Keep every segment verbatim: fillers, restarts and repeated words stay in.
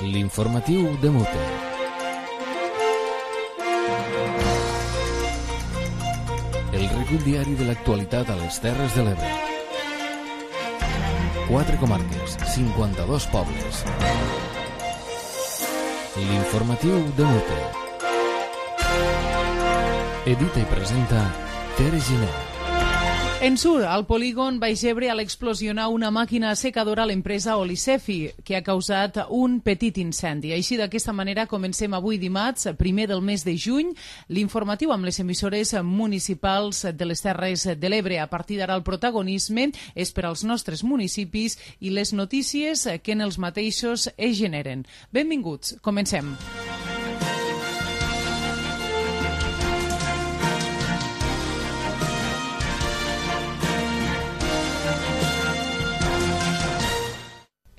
L'informatiu de Mute. El recull diari de l'actualitat a les Terres de l'Ebre. Quatre comarques, cinquanta-dos pobles. L'informatiu de Mute. Edita i presenta Tere Giner. En Sur, al polígon Baix Ebre, a l'explosionar una màquina assecadora a l'empresa Olicefi, que ha causat un petit incendi. Així, d'aquesta manera, comencem avui dimarts, primer del mes de juny, l'informatiu amb les emissores municipals de les Terres de l'Ebre. A partir d'ara, el protagonisme és per als nostres municipis i les notícies que en els mateixos es generen. Benvinguts, comencem.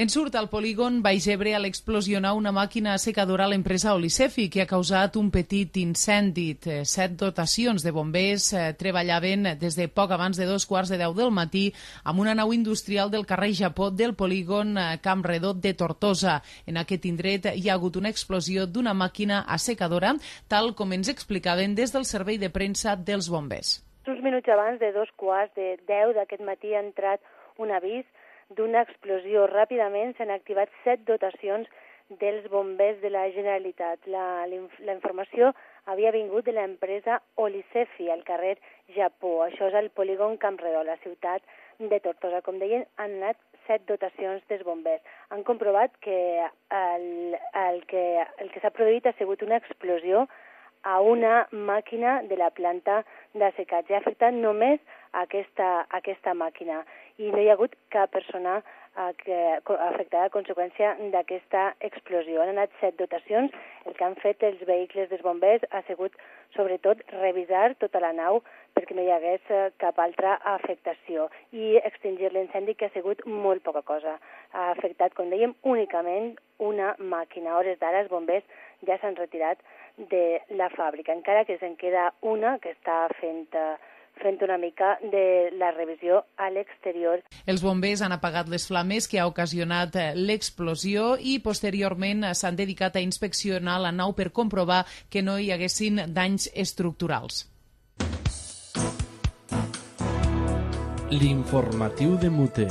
En Surt, al polígon Baix Ebre, a l'explosionar una màquina assecadora a l'empresa Olicefi, que ha causat un petit incendi. Set dotacions de bombers eh, treballaven des de poc abans de dos quarts de deu del matí amb una nau industrial del carrer Japó del polígon eh, Camp Redó de Tortosa. En aquest indret hi ha hagut una explosió d'una màquina assecadora, tal com ens explicaven des del servei de premsa dels bombers. Uns minuts abans de dos quarts de deu d'aquest matí ha entrat un avís d'una explosió. Ràpidament s'han activat set dotacions dels bombers de la Generalitat. La, la informació havia vingut de l'empresa Olicefi, al carrer Japó. Això és el polígon Camp Redó, la ciutat de Tortosa. Com deien, han anat set dotacions dels bombers. Han comprovat que el, el que, el que s'ha produït ha sigut una explosió a una màquina de la planta d'assecatge. Ha afectat només aquesta, aquesta màquina i no hi ha hagut cap persona eh, que, afectada a conseqüència d'aquesta explosió. Han anat set dotacions. El que han fet els vehicles dels bombers ha sigut, sobretot, revisar tota la nau perquè no hi hagués eh, cap altra afectació i extingir l'incendi, que ha sigut molt poca cosa. Ha afectat, com dèiem, únicament una màquina. A hores d'ara, els bombers ja s'han retirat de la fàbrica, encara que se'n queda una que està fent... Eh, fent una mica de la revisió a l'exterior. Els bombers han apagat les flames que ha ocasionat l'explosió i posteriorment s'han dedicat a inspeccionar la nau per comprovar que no hi haguessin danys estructurals. L'informatiu de Mute.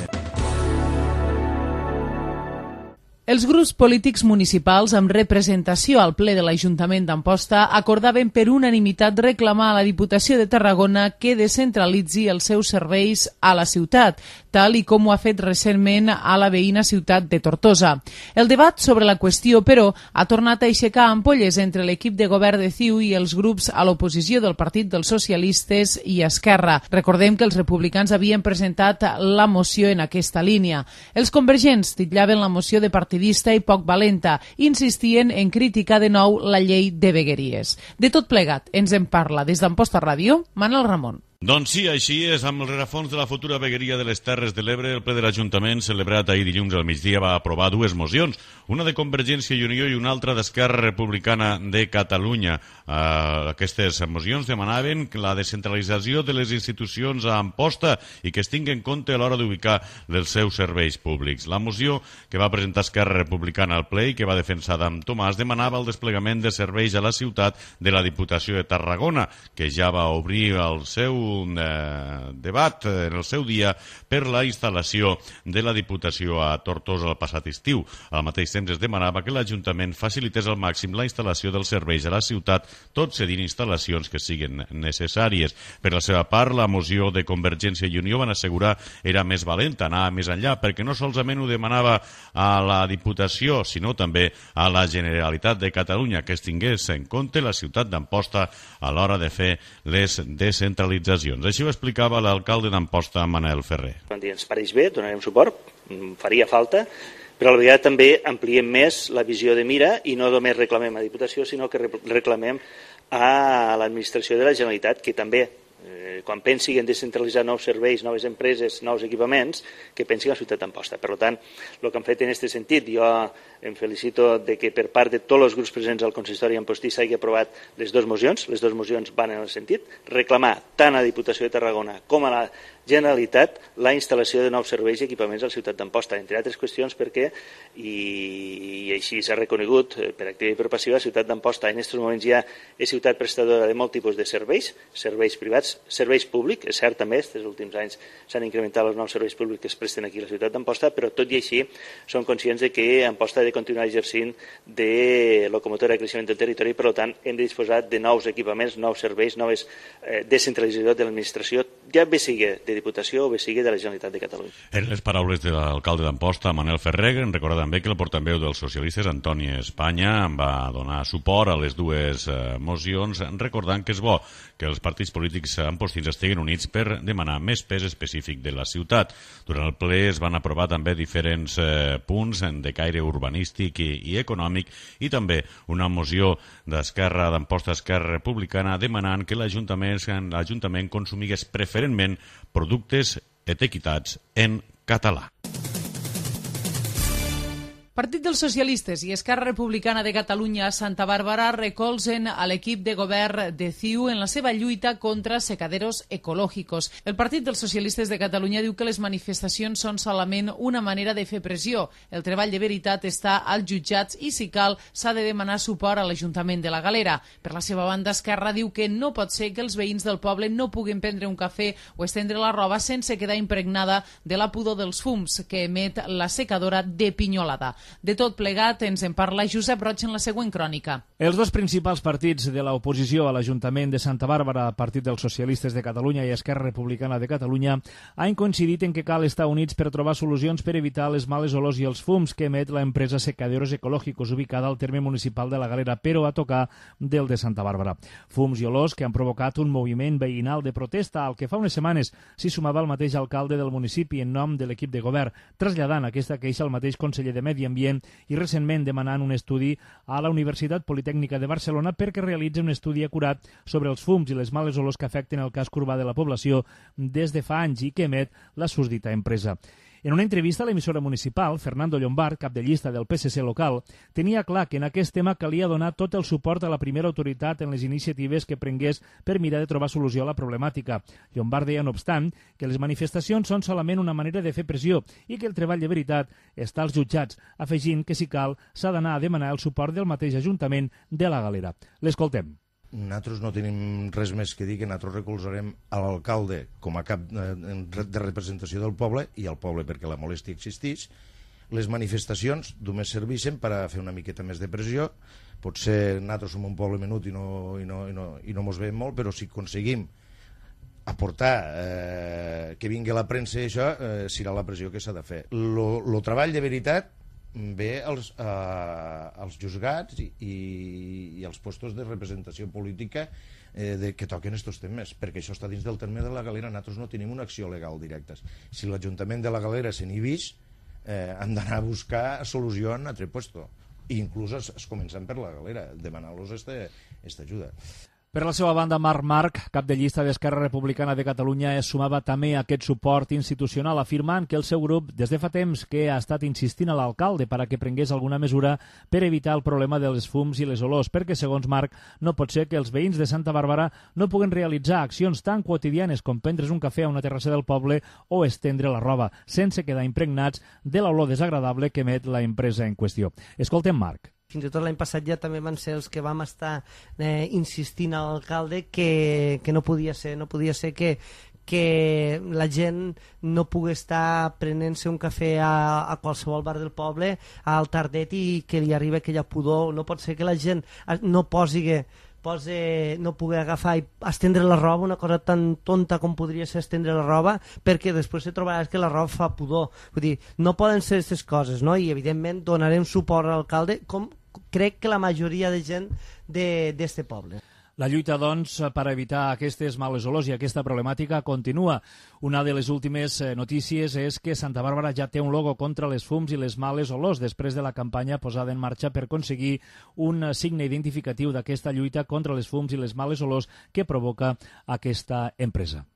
Els grups polítics municipals amb representació al ple de l'Ajuntament d'Amposta acordaven per unanimitat reclamar a la Diputació de Tarragona que descentralitzi els seus serveis a la ciutat, tal i com ho ha fet recentment a la veïna ciutat de Tortosa. El debat sobre la qüestió, però, ha tornat a aixecar ampolles entre l'equip de govern de C I U i els grups a l'oposició del Partit dels Socialistes i Esquerra. Recordem que els republicans havien presentat la moció en aquesta línia. Els convergents titllaven la moció de partidista i poc valenta, insistien en criticar de nou la llei de vegueries. De tot plegat, ens en parla des d'Amposta Ràdio, Manel Ramon. Doncs sí, així és. Amb el rerefons de la futura vegueria de les Terres de l'Ebre, el ple de l'Ajuntament, celebrat ahir dilluns al migdia, va aprovar dues mocions, una de Convergència i Unió i una altra d'Esquerra Republicana de Catalunya. Uh, aquestes mocions demanaven la descentralització de les institucions a Amposta i que es tingui en compte a l'hora d'ubicar els seus serveis públics. La moció que va presentar Esquerra Republicana al ple i que va defensar Adam Tomàs demanava el desplegament de serveis a la ciutat de la Diputació de Tarragona, que ja va obrir el seu un eh, debat en el seu dia per la instal·lació de la Diputació a Tortosa el passat estiu. Al mateix temps es demanava que l'Ajuntament facilités al màxim la instal·lació dels serveis a la ciutat, tot cedint instal·lacions que siguin necessàries. Per la seva part, la moció de Convergència i Unió van assegurar era més valenta, anava més enllà, perquè no solament ho demanava a la Diputació, sinó també a la Generalitat de Catalunya, que es tingués en compte la ciutat d'Amposta a l'hora de fer les descentralitzacions. Així ho explicava l'alcalde d'Amposta, Manel Ferrer. Ens pareix bé, donarem suport, faria falta, però a la vegada també ampliem més la visió de mira i no només reclamem a la Diputació, sinó que reclamem a l'administració de la Generalitat, que també, eh, quan pensi en descentralitzar nous serveis, noves empreses, nous equipaments, que pensi en la ciutat d'Amposta. Per tant, el que han fet en aquest sentit, jo em felicito de que per part de tots els grups presents al consistori ampostí s'hagi aprovat les dues mocions. Les dues mocions van en el sentit reclamar tant a la Diputació de Tarragona com a la Generalitat la instal·lació de nous serveis i equipaments a la ciutat d'Amposta, entre altres qüestions perquè, i, i així s'ha reconegut per activa i per passiva, la ciutat d'Amposta en aquests moments ja és ciutat prestadora de molt tipus de serveis, serveis privats, serveis públics, és cert també, aquests últims anys s'han incrementat els nous serveis públics que es presten aquí a la ciutat d'Amposta, però tot i així som conscients de que Amposta ha de continuar exercint de locomotora de creixement del territori i per tant hem de disposar de nous equipaments, nous serveis, noves eh, descentralització de l'administració, ja bé sigui de Diputació o bé sigui de la Generalitat de Catalunya. En les paraules de l'alcalde d'Amposta, Manel Ferrer, en recordar també que el portaveu dels socialistes, Antoni Espanya, va donar suport a les dues eh, mocions, recordant que és bo que els partits polítics ampostins estiguin units per demanar més pes específic de la ciutat. Durant el ple es van aprovar també diferents eh, punts de caire urbanístic i, i econòmic i també una moció d'Esquerra d'Amposta Esquerra Republicana demanant que l'Ajuntament l'Ajuntament consumigués preferentment productes etiquetats en català. Partit dels Socialistes i Esquerra Republicana de Catalunya a Santa Bàrbara recolzen a l'equip de govern de C I U en la seva lluita contra secaderos ecològicos. El Partit dels Socialistes de Catalunya diu que les manifestacions són solament una manera de fer pressió. El treball de veritat està als jutjats i, si cal, s'ha de demanar suport a l'Ajuntament de la Galera. Per la seva banda, Esquerra diu que no pot ser que els veïns del poble no puguin prendre un cafè o estendre la roba sense quedar impregnada de la pudor dels fums que emet la secadora de Pinyolada. De tot plegat ens en parla Josep Roig en la següent crònica. Els dos principals partits de l'oposició a l'Ajuntament de Santa Bàrbara, Partit dels Socialistes de Catalunya i Esquerra Republicana de Catalunya, han coincidit en que cal estar units per trobar solucions per evitar les males olors i els fums que emet la empresa Secaderos Ecológicos ubicada al terme municipal de la Galera, però a tocar del de Santa Bàrbara. Fums i olors que han provocat un moviment veïnal de protesta al que fa unes setmanes s'hi sumava el mateix alcalde del municipi en nom de l'equip de govern, traslladant aquesta queixa al mateix conseller de Medi Ambient i recentment demanant un estudi a la Universitat Politècnica de Barcelona perquè realitzi un estudi acurat sobre els fums i les males olors que afecten el casc urbà de la població des de fa anys i que emet la susdita empresa. En una entrevista a l'emissora municipal, Fernando Llombart, cap de llista del P S C local, tenia clar que en aquest tema calia donar tot el suport a la primera autoritat en les iniciatives que prengués per mirar de trobar solució a la problemàtica. Llombart deia, no obstant, que les manifestacions són solament una manera de fer pressió i que el treball de veritat està als jutjats, afegint que, si cal, s'ha d'anar a demanar el suport del mateix Ajuntament de la Galera. L'escoltem. Nosaltres no tenim res més que dir que nosaltres recolzarem a l'alcalde com a cap de representació del poble i al poble perquè la molèstia existeix. Les manifestacions només serveixen per a fer una miqueta més de pressió. Potser nosaltres som un poble menut i no, i no, i no, i no mos veiem molt, però si aconseguim aportar eh, que vingui la premsa i això, eh, serà la pressió que s'ha de fer. El treball de veritat ve als, eh, als juzgats i, i, i als postos de representació política eh, de, que toquen aquests temes, perquè això està dins del terme de la Galera. Nosaltres no tenim una acció legal directa. Si l'Ajuntament de la Galera se n'inhibix, eh, hem d'anar a buscar solució en altre puesto. I inclús es, es comencen per la Galera, demanar-los aquesta ajuda. Per la seva banda, Marc Marc, cap de llista d'Esquerra Republicana de Catalunya, es sumava també a aquest suport institucional, afirmant que el seu grup, des de fa temps que ha estat insistint a l'alcalde per a que prengués alguna mesura per evitar el problema dels fums i les olors, perquè, segons Marc, no pot ser que els veïns de Santa Bàrbara no puguen realitzar accions tan quotidianes com prendre's un cafè a una terrassa del poble o estendre la roba, sense quedar impregnats de l'olor desagradable que emet la empresa en qüestió. Escoltem Marc. Fins i tot l'any passat ja també van ser els que vam estar eh, insistint a l'alcalde que, que no podia ser, no podia ser que, que la gent no pugui estar prenent-se un cafè a, a qualsevol bar del poble al tardet i que li arribi aquella pudor. No pot ser que la gent no posi... Pose, no pugui agafar i estendre la roba, una cosa tan tonta com podria ser estendre la roba, perquè després se trobaràs que la roba fa pudor. Vull dir, no poden ser aquestes coses, no? I evidentment donarem suport a l'alcalde, com crec que la majoria de gent d'este poble. La lluita, doncs, per evitar aquestes males olors i aquesta problemàtica continua. Una de les últimes notícies és que Santa Bàrbara ja té un logo contra les fums i les males olors després de la campanya posada en marxa per aconseguir un signe identificatiu d'aquesta lluita contra les fums i les males olors que provoca aquesta empresa.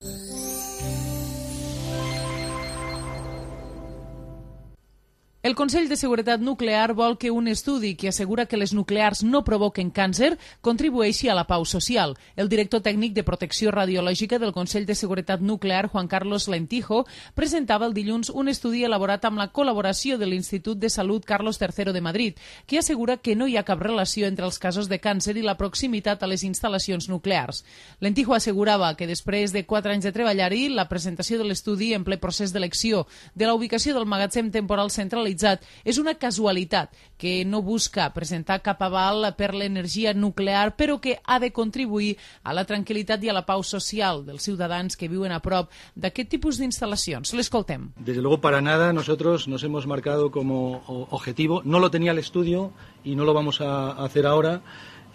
El Consell de Seguretat Nuclear vol que un estudi que assegura que les nuclears no provoquen càncer contribueixi a la pau social. El director tècnic de protecció radiològica del Consell de Seguretat Nuclear, Juan Carlos Lentijo, presentava el dilluns un estudi elaborat amb la col·laboració de l'Institut de Salut Carlos tercero de Madrid, que assegura que no hi ha cap relació entre els casos de càncer i la proximitat a les instal·lacions nuclears. Lentijo assegurava que després de quatre anys de treballar-hi, la presentació de l'estudi en ple procés d'elecció de la ubicació del magatzem temporal centralitzat és una casualitat que no busca presentar cap aval per l'energia nuclear, però que ha de contribuir a la tranquil·litat i a la pau social dels ciutadans que viuen a prop d'aquest tipus d'instal·lacions. L'escoltem. Desde luego, para nada, nosotros nos hemos marcado como objetivo, no lo tenía el estudio y no lo vamos a hacer ahora,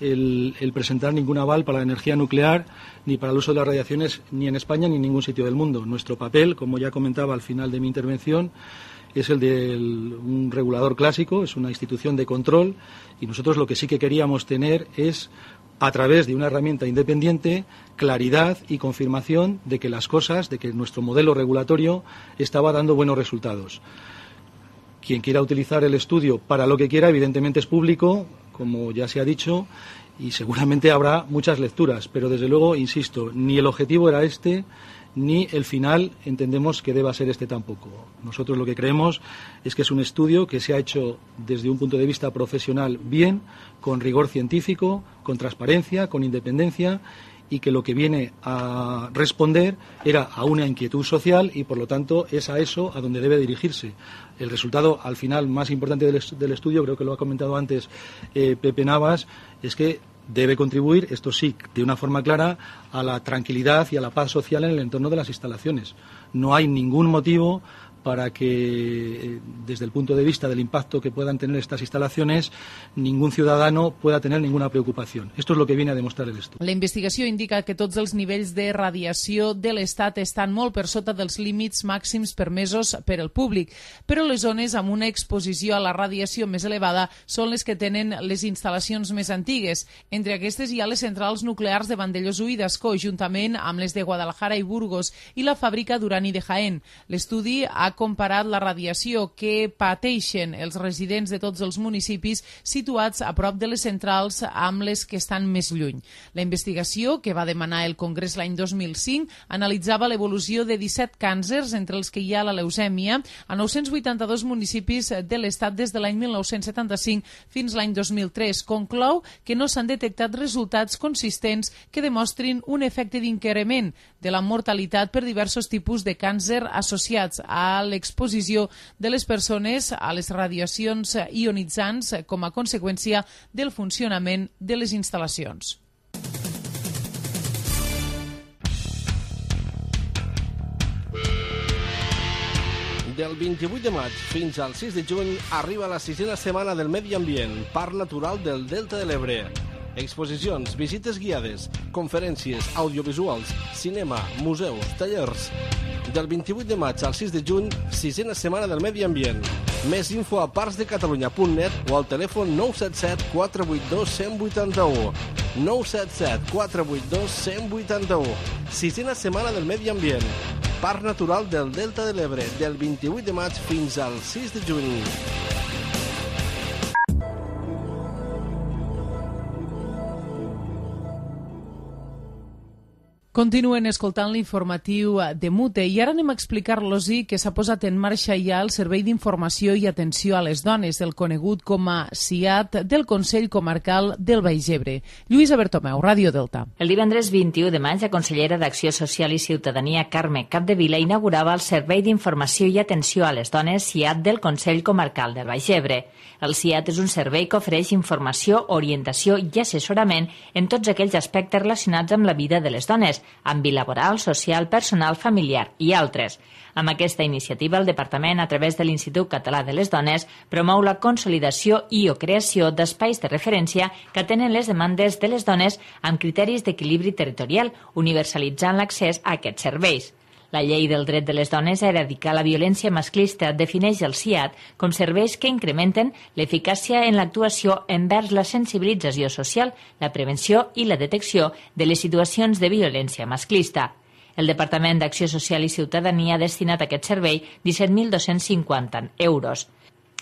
El, el presentar ningún aval para la energía nuclear ni para el uso de las radiaciones ni en España ni en ningún sitio del mundo. Nuestro papel, como ya comentaba al final de mi intervención, es el de un regulador clásico, es una institución de control, y nosotros lo que sí que queríamos tener es, a través de una herramienta independiente, claridad y confirmación de que las cosas, de que nuestro modelo regulatorio estaba dando buenos resultados. Quien quiera utilizar el estudio para lo que quiera, evidentemente es público, como ya se ha dicho, y seguramente habrá muchas lecturas, pero desde luego, insisto, ni el objetivo era este, ni el final entendemos que deba ser este tampoco. Nosotros lo que creemos es que es un estudio que se ha hecho desde un punto de vista profesional bien, con rigor científico, con transparencia, con independencia, y que lo que viene a responder era a una inquietud social y, por lo tanto, es a eso a donde debe dirigirse. El resultado, al final, más importante del, est- del estudio, creo que lo ha comentado antes eh, Pepe Navas, es que debe contribuir, esto sí, de una forma clara, a la tranquilidad y a la paz social en el entorno de las instalaciones. No hay ningún motivo para que, desde el punto de vista del impacto que puedan tener estas instalaciones, ningún ciudadano pueda tener ninguna preocupación. Esto es lo que viene a demostrar el estudio. La investigació indica que tots els nivells de radiació de l'Estat estan molt per sota dels límits màxims permesos per al públic, però les zones amb una exposició a la radiació més elevada són les que tenen les instal·lacions més antigues. Entre aquestes hi ha les centrals nuclears de Vandellós i d'Ascó, juntament amb les de Guadalajara i Burgos, i la fàbrica d'urani de Jaén. L'estudi ha comparat la radiació que pateixen els residents de tots els municipis situats a prop de les centrals amb les que estan més lluny. La investigació, que va demanar el Congrés l'any dos mil cinc, analitzava l'evolució de disset càncers, entre els que hi ha la leucèmia, a nou-cents vuitanta-dos municipis de l'Estat des de l'any mil nou-cents setanta-cinc fins l'any dos mil tres. Conclou que no s'han detectat resultats consistents que demostrin un efecte d'increment de la mortalitat per diversos tipus de càncer associats a l'exposició de les persones a les radiacions ionitzants com a conseqüència del funcionament de les instal·lacions. Del vint-i-vuit de maig fins al sis de juny arriba la sisena setmana del Medi Ambient, Parc Natural del Delta de l'Ebre. Exposicions, visites guiades, conferències, audiovisuals, cinema, museus, tallers. Del vint-i-vuit de maig al sis de juny, sisena setmana del Medi Ambient. Més info a parcsdecatalunya punt net o al telèfon nou set set quatre vuit dos un zero vuit u. nou set set quatre vuit dos un zero vuit u. Sisena setmana del Medi Ambient. Parc Natural del Delta de l'Ebre, del vint-i-vuit de maig fins al sis de juny. Continuen escoltant l'informatiu de Mute i ara anem a explicar-los-hi que s'ha posat en marxa ja el Servei d'Informació i Atenció a les Dones, el conegut com a S I A T del Consell Comarcal del Baix Ebre. Lluïsa Bertomeu, Ràdio Delta. El divendres vint-i-u de maig, la consellera d'Acció Social i Ciutadania, Carme Capdevila, inaugurava el Servei d'Informació i Atenció a les Dones S I A T del Consell Comarcal del Baix Ebre. El S I A T és un servei que ofereix informació, orientació i assessorament en tots aquells aspectes relacionats amb la vida de les dones, àmbit laboral, social, personal, familiar i altres. Amb aquesta iniciativa, el Departament, a través de l'Institut Català de les Dones, promou la consolidació i o creació d'espais de referència que atenen les demandes de les dones amb criteris d'equilibri territorial, universalitzant l'accés a aquests serveis. La llei del dret de les dones a erradicar la violència masclista defineix el S I A T com serveis que incrementen l'eficàcia en l'actuació envers la sensibilització social, la prevenció i la detecció de les situacions de violència masclista. El Departament d'Acció Social i Ciutadania ha destinat a aquest servei disset mil dos-cents cinquanta euros.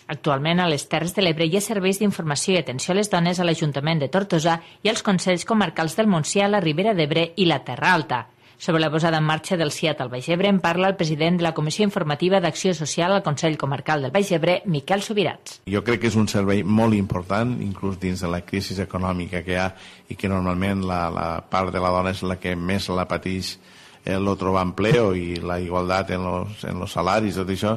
Actualment, a les Terres de l'Ebre hi ha serveis d'informació i atenció a les dones a l'Ajuntament de Tortosa i als Consells Comarcals del Montsià, la Ribera d'Ebre i la Terra Alta. Sobre la posada en marxa del C I A T al Baix Ebre en parla el president de la Comissió Informativa d'Acció Social al Consell Comarcal del Baix Ebre, Miquel Subirats. Jo crec que és un servei molt important, inclús dins de la crisi econòmica que hi ha i que normalment la, la part de la dona és la que més la pateix el no trobar empleo i la igualtat en los, en los salaris, tot això,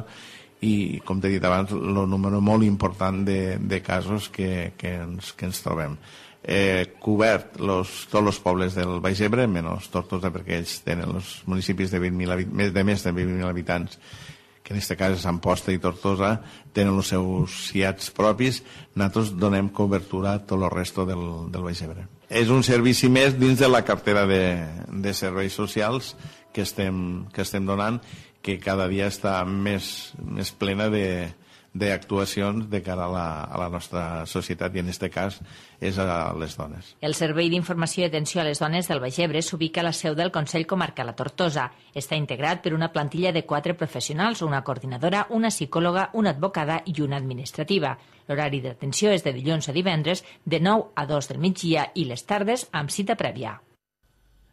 i com t'he dit abans, el número molt important de, de casos que, que, ens, que ens trobem. Eh, cobert los, tots els pobles del Baix Ebre, menys Tortosa, perquè ells tenen els municipis de, vint mil, de més de vint mil habitants, que en aquest cas és Amposta i Tortosa, tenen els seus C I A Ts propis. Nosaltres donem cobertura a tot el resto del, del Baix Ebre. És un servici més dins de la cartera de, de serveis socials que estem, que estem donant, que cada dia està més, més plena de d'actuacions de cara a la, a la nostra societat, i en aquest cas és a les dones. El Servei d'Informació i Atenció a les Dones del Baix Ebre s'ubica a la seu del Consell Comarcal a Tortosa. Està integrat per una plantilla de quatre professionals, una coordinadora, una psicòloga, una advocada i una administrativa. L'horari d'atenció és de dilluns a divendres de nou a dos del migdia i les tardes amb cita prèvia.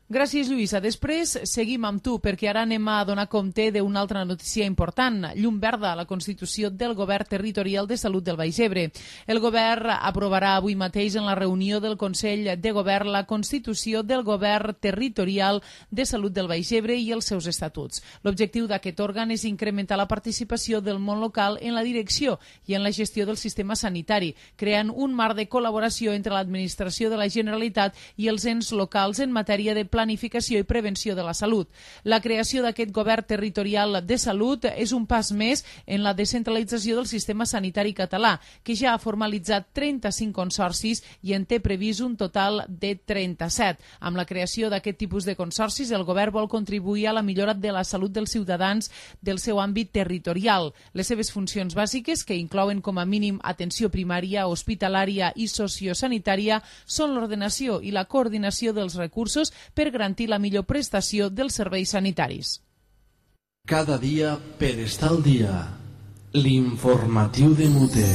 Gràcies, Lluïsa. Després seguim amb tu, perquè ara anem a donar compte d'una altra notícia important. Llum verda a la constitució del Govern Territorial de Salut del Baix Ebre. El Govern aprovarà avui mateix en la reunió del Consell de Govern la constitució del Govern Territorial de Salut del Baix Ebre i els seus estatuts. L'objectiu d'aquest òrgan és incrementar la participació del món local en la direcció i en la gestió del sistema sanitari, creant un marc de col·laboració entre l'administració de la Generalitat i els ens locals en matèria de planificació i prevenció de la salut. La creació d'aquest govern territorial de salut és un pas més en la descentralització del sistema sanitari català, que ja ha formalitzat trenta-cinc consorcis i en té previst un total de trenta-set. Amb la creació d'aquest tipus de consorcis, el govern vol contribuir a la millora de la salut dels ciutadans del seu àmbit territorial. Les seves funcions bàsiques, que inclouen com a mínim atenció primària, hospitalària i sociosanitària, són l'ordenació i la coordinació dels recursos per garantir la millor prestació dels serveis sanitaris. Cada dia per estar al dia. L'informatiu de Muté.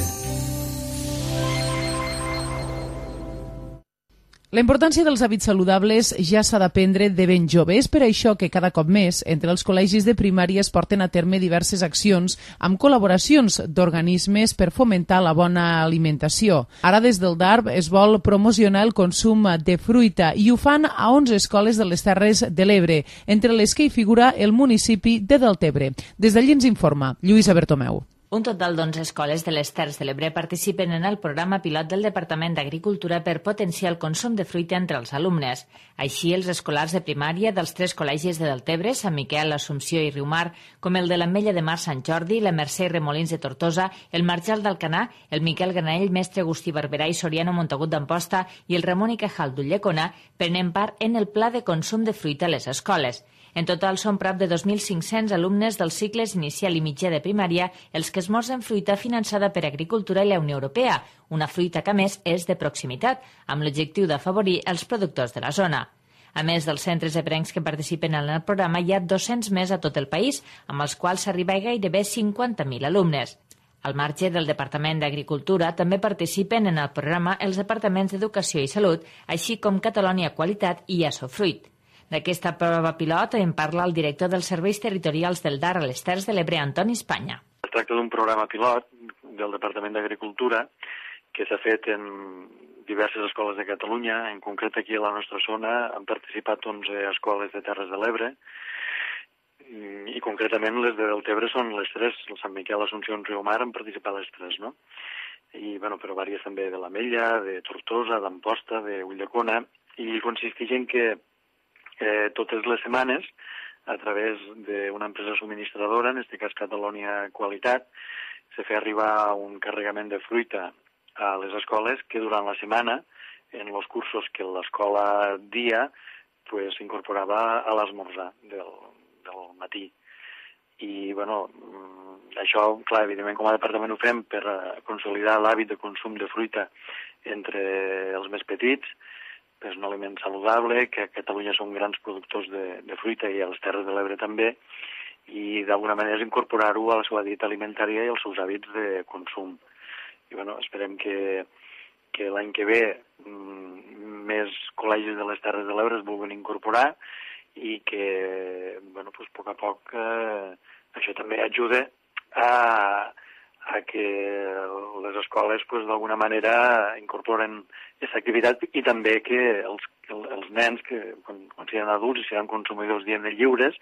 La importància dels hàbits saludables ja s'ha d'aprendre de ben jove. És per això que cada cop més entre els col·legis de primària es porten a terme diverses accions amb col·laboracions d'organismes per fomentar la bona alimentació. Ara des del D A R B es vol promocionar el consum de fruita i ho fan a onze escoles de les Terres de l'Ebre, entre les que hi figura el municipi de Deltebre. Des d'allí ens informa Lluïsa Bertomeu. Un total d'onze escoles de les Terres de l'Ebre participen en el programa pilot del Departament d'Agricultura per potenciar el consum de fruita entre els alumnes. Així, els escolars de primària dels tres col·legis de Deltebre, Sant Miquel, Assumpció i Riumar, com el de l'Ametlla de Mar Sant Jordi, la Mercè i Remolins de Tortosa, el Marjal d'Alcanar, el Miquel Granell, Mestre Agustí Barberà i Soriano Montagut d'Amposta i el Ramon i Cajal d'Ulldecona prenen part en el pla de consum de fruita a les escoles. En total són prop de dos mil cinc-cents alumnes dels cicles inicial i mitjà de primària els que esmorzen fruita finançada per Agricultura i la Unió Europea, una fruita que a més és de proximitat, amb l'objectiu d'afavorir els productors de la zona. A més dels centres ebrencs que participen en el programa, hi ha dos-cents més a tot el país, amb els quals s'arriba a gairebé cinquanta mil alumnes. Al marge del Departament d'Agricultura també participen en el programa els departaments d'Educació i Salut, així com Catalunya Qualitat i Assofruit. D'aquesta prova pilot en parla el director dels Serveis Territorials del D A R a les Terres de l'Ebre, Antoni Espanya. Es tracta d'un programa pilot del Departament d'Agricultura que s'ha fet en diverses escoles de Catalunya. En concret, aquí a la nostra zona han participat onze escoles de Terres de l'Ebre i concretament les de Deltebre són les tres, el Sant Miquel, Assumpció i Riumar han participat les tres, no? I, bueno, però vàries també de l'Ametlla, de Tortosa, d'Amposta, d'Ulldecona, i consisteix en que Eh, totes les setmanes, a través d'una empresa subministradora, en aquest cas Catalunya Qualitat, se fa arribar un carregament de fruita a les escoles que durant la setmana, en els cursos que l'escola dia, pues, s'incorporava a l'esmorzar del, del matí. I, bueno, això, clar, evidentment, com a departament ho fem per consolidar l'hàbit de consum de fruita entre els més petits. És un aliment saludable, que a Catalunya són grans productors de, de fruita i a les Terres de l'Ebre també, i d'alguna manera incorporar-ho a la seva dieta alimentària i als seus hàbits de consum. I bueno, esperem que, que l'any que ve mm, més col·legis de les Terres de l'Ebre es vulguin incorporar i que, bueno, pues, a poc a poc eh, això també ajuda a, a que les escoles pues, d'alguna manera incorporen aquesta activitat i també que els, els nens que quan, quan siguin adults i seran consumidors diem lliures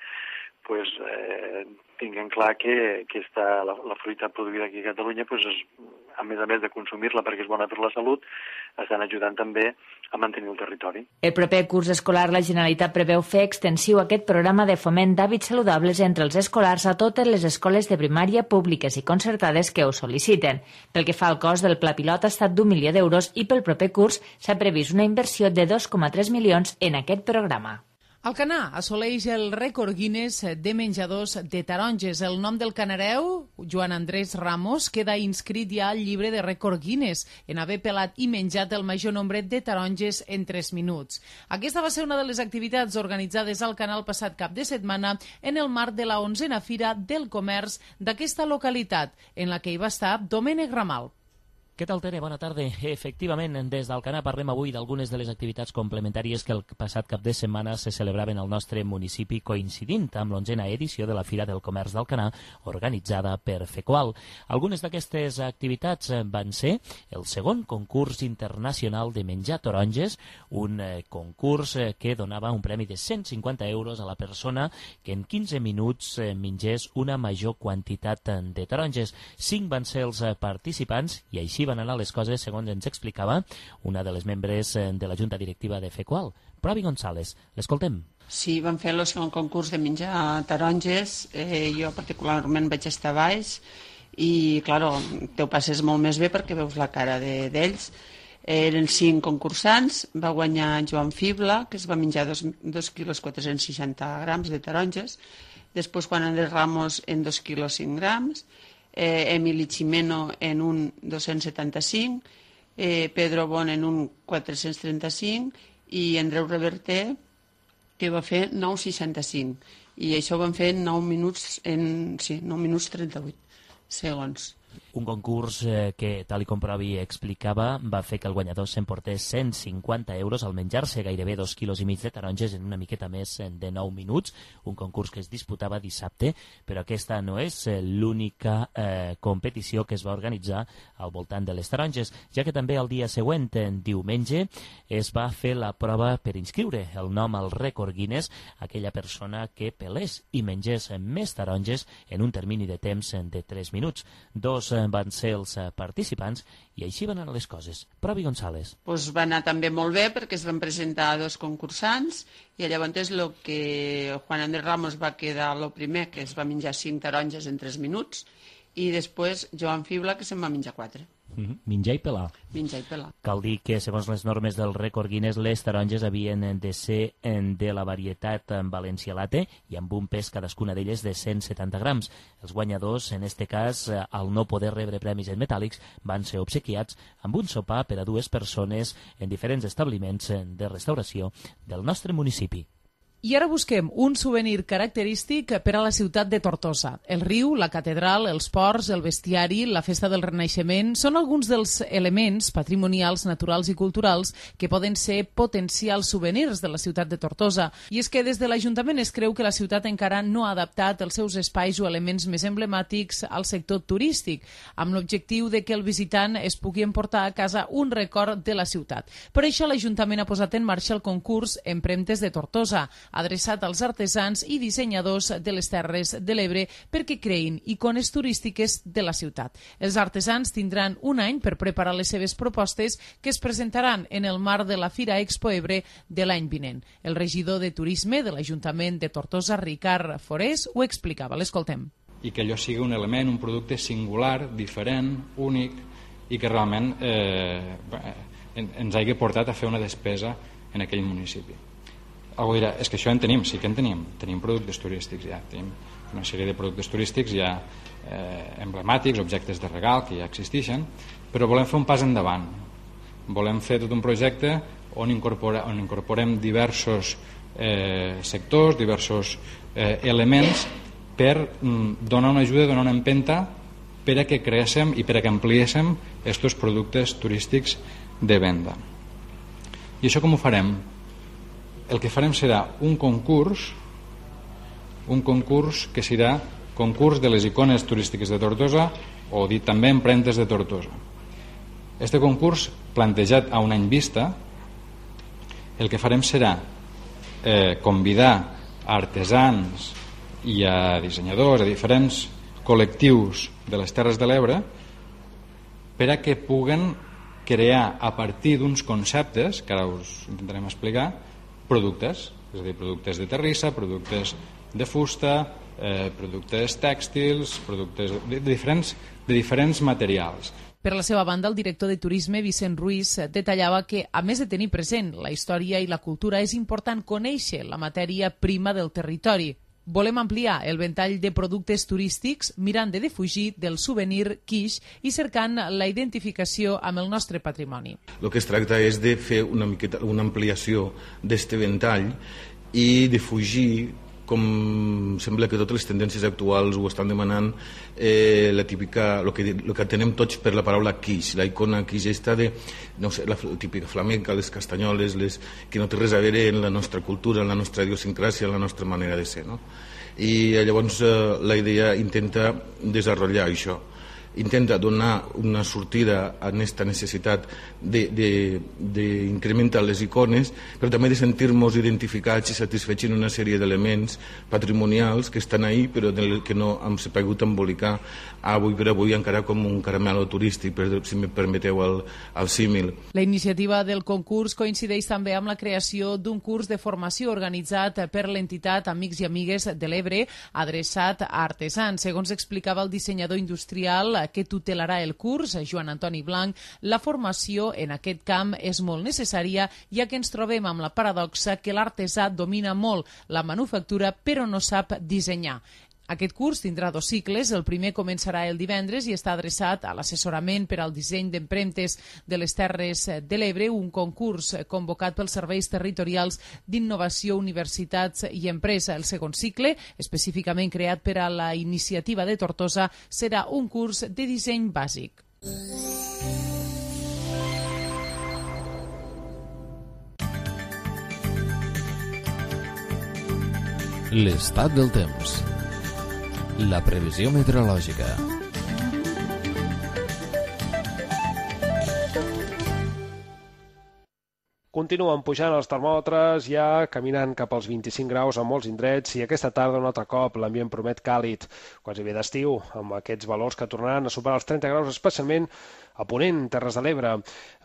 pues, eh, tinguin clar que, que esta, la, la fruita produïda aquí a Catalunya pues, és, a més a més de consumir-la perquè és bona per la salut, estan ajudant també a mantenir el territori. El proper curs escolar la Generalitat preveu fer extensiu aquest programa de foment d'hàbits saludables entre els escolars a totes les escoles de primària públiques i concertades que ho sol·liciten. Pel que fa al cost del pla pilot ha estat d'un milió d'euros i pel proper curs s'ha previst una inversió de dos coma tres milions en aquest programa. Alcanar assoleix el rècord Guinness de menjadors de taronges. El nom del canareu, Joan Andrés Ramos, queda inscrit ja al llibre de rècord Guinness en haver pelat i menjat el major nombre de taronges en tres minuts. Aquesta va ser una de les activitats organitzades al canal passat cap de setmana en el marc de la onzena Fira del Comerç d'aquesta localitat, en la que hi va estar Domènec Ramal. Què tal, Tere? Bona tarda. Efectivament, des d'Alcanar parlem avui d'algunes de les activitats complementàries que el passat cap de setmana se celebraven al nostre municipi coincidint amb l'onzena edició de la Fira del Comerç d'Alcanar organitzada per FECOAL. Algunes d'aquestes activitats van ser el segon concurs internacional de menjar taronges, un concurs que donava un premi de cent cinquanta euros a la persona que en quinze minuts mengés una major quantitat de taronges. Cinc van ser els participants i així van anar les coses, segons ens explicava una de les membres de la Junta Directiva de FECOAL, Provi González. L'escoltem. Sí, vam fer el segon concurs de menjar taronges. Eh, jo particularment vaig estar baix i, clar, te ho passes molt més bé perquè veus la cara d'ells. Eh, eren cinc concursants, va guanyar Joan Fibla, que es va menjar dos quilos quatre-cents seixanta grams de taronges. Després Juan Andrés Ramos en dos quilos cinc grams. Eh, Emili Chimeno en un dos-cents setanta-cinc, eh, Pedro Bon en un quatre-cents trenta-cinc i Andreu Reverter que va fer nou coma seixanta-cinc i això ho van fer en nou minuts en, sí, nou minuts trenta-vuit segons. Un concurs eh, que, tal com Provi explicava, va fer que el guanyador s'emportés cent cinquanta euros al menjar-se gairebé dos quilos i mig de taronges en una miqueta més de nou minuts, un concurs que es disputava dissabte, però aquesta no és l'única eh, competició que es va organitzar al voltant de les taronges, ja que també el dia següent, en diumenge, es va fer la prova per inscriure el nom al rècord Guinness aquella persona que pelés i mengés més taronges en un termini de temps de tres minuts. Dos van ser els participants i així van anar les coses. Provi González. Pues va anar també molt bé perquè es van presentar dos concursants i llavors el que Juan Andrés Ramos va quedar el primer, que es va menjar cinc taronges en tres minuts, i després Joan Fibla, que se'n va menjar quatre. Mm-hmm. Menjar i pelar. Menjar i pelar. Cal dir que, segons les normes del rècord Guinness, les taronges havien de ser de la varietat Valencia Latte i amb un pes cadascuna d'elles de cent setanta grams. Els guanyadors, en este cas, al no poder rebre premis en metàl·lics, van ser obsequiats amb un sopar per a dues persones en diferents establiments de restauració del nostre municipi. I ara busquem un souvenir característic per a la ciutat de Tortosa. El riu, la catedral, els ports, el bestiari, la festa del Renaixement són alguns dels elements patrimonials, naturals i culturals que poden ser potencials souvenirs de la ciutat de Tortosa. I és que des de l'Ajuntament es creu que la ciutat encara no ha adaptat els seus espais o elements més emblemàtics al sector turístic, amb l'objectiu de que el visitant es pugui emportar a casa un record de la ciutat. Per això l'Ajuntament ha posat en marxa el concurs Empremtes de Tortosa, adreçat als artesans i dissenyadors de les Terres de l'Ebre perquè creïn icones turístiques de la ciutat. Els artesans tindran un any per preparar les seves propostes que es presentaran en el marc de la Fira Expo Ebre de l'any vinent. El regidor de Turisme de l'Ajuntament de Tortosa, Ricard Forés, ho explicava. L'escoltem. I que allò sigui un element, un producte singular, diferent, únic i que realment eh, ens hagi portat a fer una despesa en aquell municipi. Algú dirà, és que això en tenim, sí que en tenim. Tenim productes turístics ja, tenim una sèrie de productes turístics ja eh, emblemàtics, objectes de regal que ja existeixen, però volem fer un pas endavant. Volem fer tot un projecte on, incorpora, on incorporem diversos eh, sectors, diversos eh, elements per donar una ajuda, donar una empenta per a que creéssim i per a que ampliéssim aquests productes turístics de venda. I això com ho farem? El que farem serà un concurs, un concurs que serà concurs de les icones turístiques de Tortosa, o dit també empremtes de Tortosa. Este concurs, plantejat a un any vista, el que farem serà eh, convidar a artesans i a dissenyadors, a diferents col·lectius de les Terres de l'Ebre, per a que puguen crear a partir d'uns conceptes, que ara us intentarem explicar, productes, és a dir, productes de terrissa, productes de fusta, eh, productes tèxtils, productes de diferents, de diferents materials. Per la seva banda, el director de Turisme, Vicent Ruiz, detallava que, a més de tenir present la història i la cultura, és important conèixer la matèria prima del territori. Volem ampliar el ventall de productes turístics mirant de defugir del souvenir quiche i cercant la identificació amb el nostre patrimoni. El que es tracta és de fer una, miqueta, una ampliació d'este ventall i de fugir, com sembla que totes les tendències actuals ho estan demanant, eh, la típica, el que, el que tenem tots per la paraula quiche, la icona quiche esta de, no sé, la típica flamenca, les castanyoles, les, que no té res a veure en la nostra cultura, en la nostra idiosincràsia, en la nostra manera de ser, no? I llavors eh, la idea intenta desenvolupar això, intenta donar una sortida a aquesta necessitat d'incrementar les icones, però també de sentir-nos identificats i satisfets en una sèrie d'elements patrimonials que estan ahí però que no hem sabut embolicar avui per avui encara com un caramelo turístic, si me permeteu el, el símil. La iniciativa del concurs coincideix també amb la creació d'un curs de formació organitzat per l'entitat Amics i Amigues de l'Ebre, adreçat a artesans. Segons explicava el dissenyador industrial que tutelarà el curs, Joan Antoni Blanc, la formació en aquest camp és molt necessària, ja que ens trobem amb la paradoxa que l'artesà domina molt la manufactura però no sap dissenyar. Aquest curs tindrà dos cicles. El primer començarà el divendres i està adreçat a l'assessorament per al disseny d'empremtes de les Terres de l'Ebre, un concurs convocat pels serveis territorials d'innovació, universitats i empresa. El segon cicle, específicament creat per a la iniciativa de Tortosa, serà un curs de disseny bàsic. L'estat del temps. La previsió meteorològica. Continuen pujant els termòmetres, ja caminant cap als vint-i-cinc graus a molts indrets, i aquesta tarda un altre cop l'ambient promet càlid, quasi bé d'estiu, amb aquests valors que tornaran a superar els trenta graus, especialment a Ponent, Terres de l'Ebre,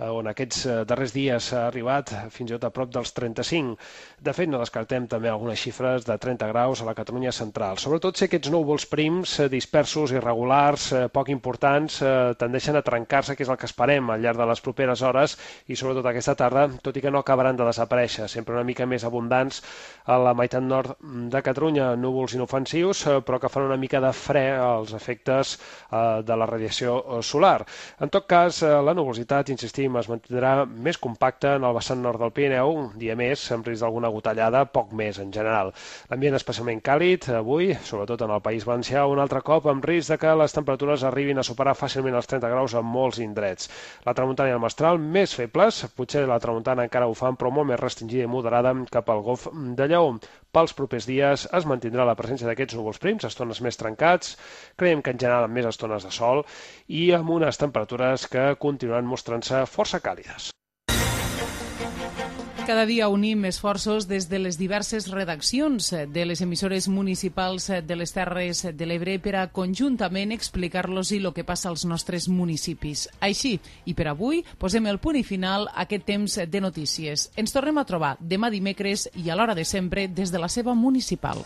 on aquests darrers dies s'ha arribat fins i tot a prop dels trenta-cinc. De fet, no descartem també algunes xifres de trenta graus a la Catalunya central. Sobretot si aquests núvols prims, dispersos, irregulars, poc importants, tendeixen a trencar-se, que és el que esperem al llarg de les properes hores, i sobretot aquesta tarda, tot i que no acabaran de desaparèixer, sempre una mica més abundants a la meitat nord de Catalunya, núvols inofensius, però que fan una mica de fre als efectes de la radiació solar. En tot cas, la nuvolositat, insistim, es mantindrà més compacta en el vessant nord del Pirineu, un dia més, amb risc d'alguna gotellada, poc més en general. L'ambient especialment càlid, avui, sobretot en el País Valencià, un altre cop amb risc de que les temperatures arribin a superar fàcilment els trenta graus a molts indrets. La tramuntana i el mestral, més febles, potser la tramuntana encara ho fan, però molt més restringida i moderada cap al Golf de Lleó. Pels propers dies es mantindrà la presència d'aquests núvols prims, estones més trencats, creiem que en general amb més estones de sol i amb unes temperatures que continuaran mostrant-se força càlides. Cada dia unim esforços des de les diverses redaccions de les emissores municipals de les Terres de l'Ebre per a conjuntament explicar-los el que passa als nostres municipis. Així, i per avui, posem el punt i final a aquest temps de notícies. Ens tornem a trobar demà dimecres i a l'hora de sempre des de la seva municipal.